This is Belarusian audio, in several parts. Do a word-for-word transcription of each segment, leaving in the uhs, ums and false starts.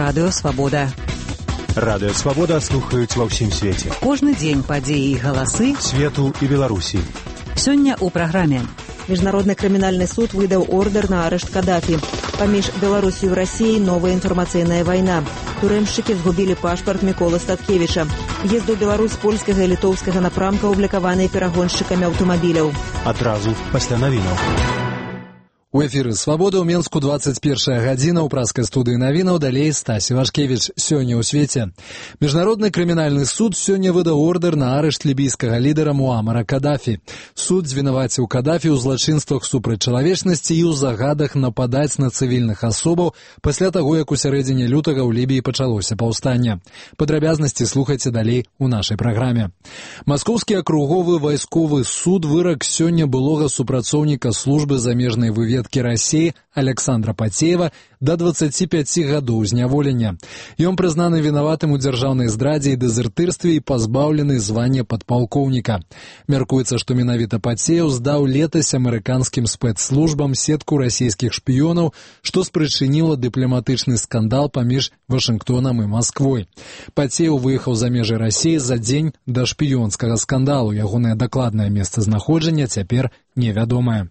Радыё Свабода. Радыё Свабода слухаюць ва ўсім свеце. Кожны дзень падзеі і галасы свету і Беларусі. Сёння ў праграме. Міжнародны крымінальны суд выдаў ордер на арышт Кадафі. Паміж Беларусью і Расіяй новая інфармацыйная вайна. Турэмшчыкі згубілі пашпарт Міколы Статкевіча. Езд у Беларусь польскага і літоўскага напрамка аблікаваныя перагоншчыкамі аўтамабіляў. Адразу пасля навінаў. У эфіры «Свабода» ў Менску двадцать первая гадзіна, ў праскай студыі навінаў, далей Стасі Вашкевіч. Сёння ў свеце. Міжнародны крымінальны суд сёння выдаў ордер на арышт лібійскага лідара Муамара Кадафі. Суд звінаваціў Кадафі ў злачынствах супраць чалавечнасці і ў загадах нападаць на цывільных асобаў пасля таго, як у сярэдзіне лютага ў Лібіі пачалося паўстанне. Падрабязнасці слухайце далей у нашай праграме. Маскоўскі акруговы вайсковы суд вырак сёння былога супрацоўніка службы замежнай выведкі России Александра Пацеева до двадцати пяти гадоў зняволення. Ён прызнаны вінаватым у дзяржаўнай здрадзе і дэзертырстве і пазбаўлены звання падпалкоўніка. Мяркуецца, што менавіта Пацеев здаў летась амерыканскім спецслужбам сетку расійскіх шпіёнаў, што спрычыніла дыпламатычны скандал паміж Вашынгтонам і Масквой. Пацеев выехаў за межы Расіі за дзень да шпіёнскага скандалу. Ягонае дакладнае месцазнаходжанне цяпер невядомае.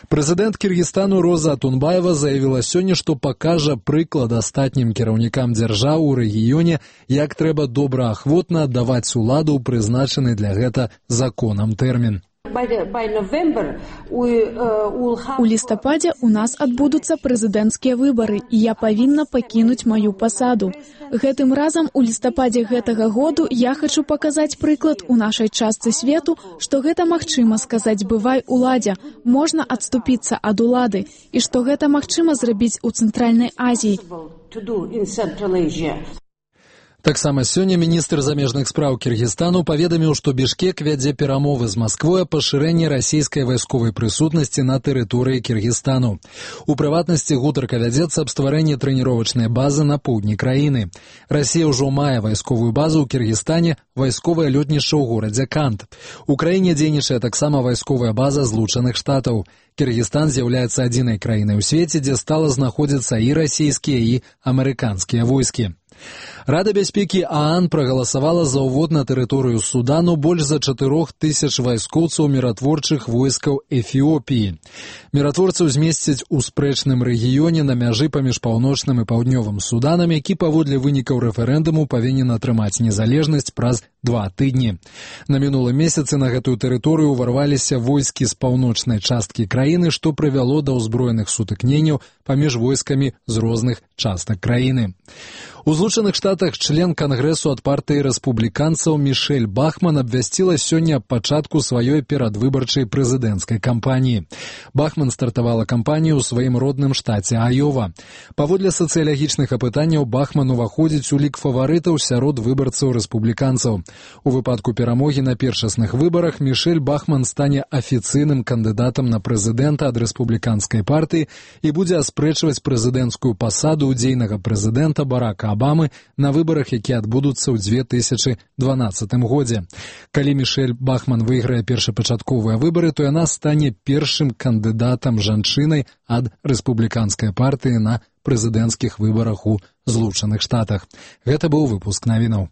Прэзідэнт Кіргізстану Роза Атунбаева заявіла сёння, што пакажа прыклад астатнім кіраўнікам дзяржаў у рэгіёне, як трэба добраахвотна аддаваць уладу ў прызначаны для гэта законам тэрмін. У лістападзе у нас адбудуцца прэзідэнцкія выбары, і я павінна пакінуць маю пасаду. Гэтым разам у лістападзе гэтага году я хачу паказаць прыклад у нашай частцы свету, што гэта магчыма сказаць бывай уладзе, можна адступіцца ад улады, і што гэта магчыма зрабіць у Цэнтральнай Азіі. Таксама сёння міністр замежных спраў Кіргізстану паведаміў, што Бішкек вядзе перамовы з Масквой о пашырэнні расійскай вайсковай прысутнасці на тэрыторыі Кіргізстану. У прыватнасці гутарка вядзецца аб стварэнні трэніровачнай базы на поўдні краіны. Расія ўжо мае вайсковую базу ў Кіргізстане, вайсковае лётнішча ў горадзе Кант. У краіне дзейнічае таксама вайсковая база Злучаных Штатаў. Кіргізстан з'яўляецца адзінай краінай у свеце, дзе стала знаходзіцца і расійскія, і амерыканскія войскі. Рада бяспекі ААН прагаласавала за ўвод на тэрыторыю Судану больш за чатырох тысяч вайскоўцаў міратворчых войскаў Эфіопіі. Міратворцаў змесцяць у спрэчным рэгіёне на мяжы паміж паўночным і паўднёвым Суданам, які паводле вынікаў рэферэндуму павінен атрымаць незалежнасць праз два тыдні. На мінулым месяцы на гэтую тэрыторыю ўварваліся войскі з паўночнай часткі краіны, што прывяло да ўзброеных сутыкненняў паміж войскамі з розных частак краіны. У Злучаных Штатах член Кангрэсу ад партыі рэспубліканцаў Мішэль Бахман абвясціла сёння аб пачатку сваёй перадвыбарчай прэзідэнцкай кампаніі. Бахман стартавала кампанію ў сваім родным штаце Айова. Паводле сацыялагічных апытанняў Бахман уваходзіць у лік фаварытаў сярод выбарцаў рэспубліканцаў. У выпадку перамогі на першасных выбарах Мішэль Бахман стане афіцыйным кандыдатам на прэзідэнта ад рэспубліканскай партыі і будзе аспрэчваць прэзідэнцкую пасаду ўдзейнага прэзідэнта Барака Абамы на выбарах, якія адбудуцца ў дзве тысячы дванаццатым годзе. Калі Мішэль Бахман выйграе першапачатковыя выбары, то яна стане першым кандыдатам жанчынай ад рэспубліканскай партыі на прэзідэнцкіх выбарах у Злучаных Штатах. Гэта быў выпуск навінаў.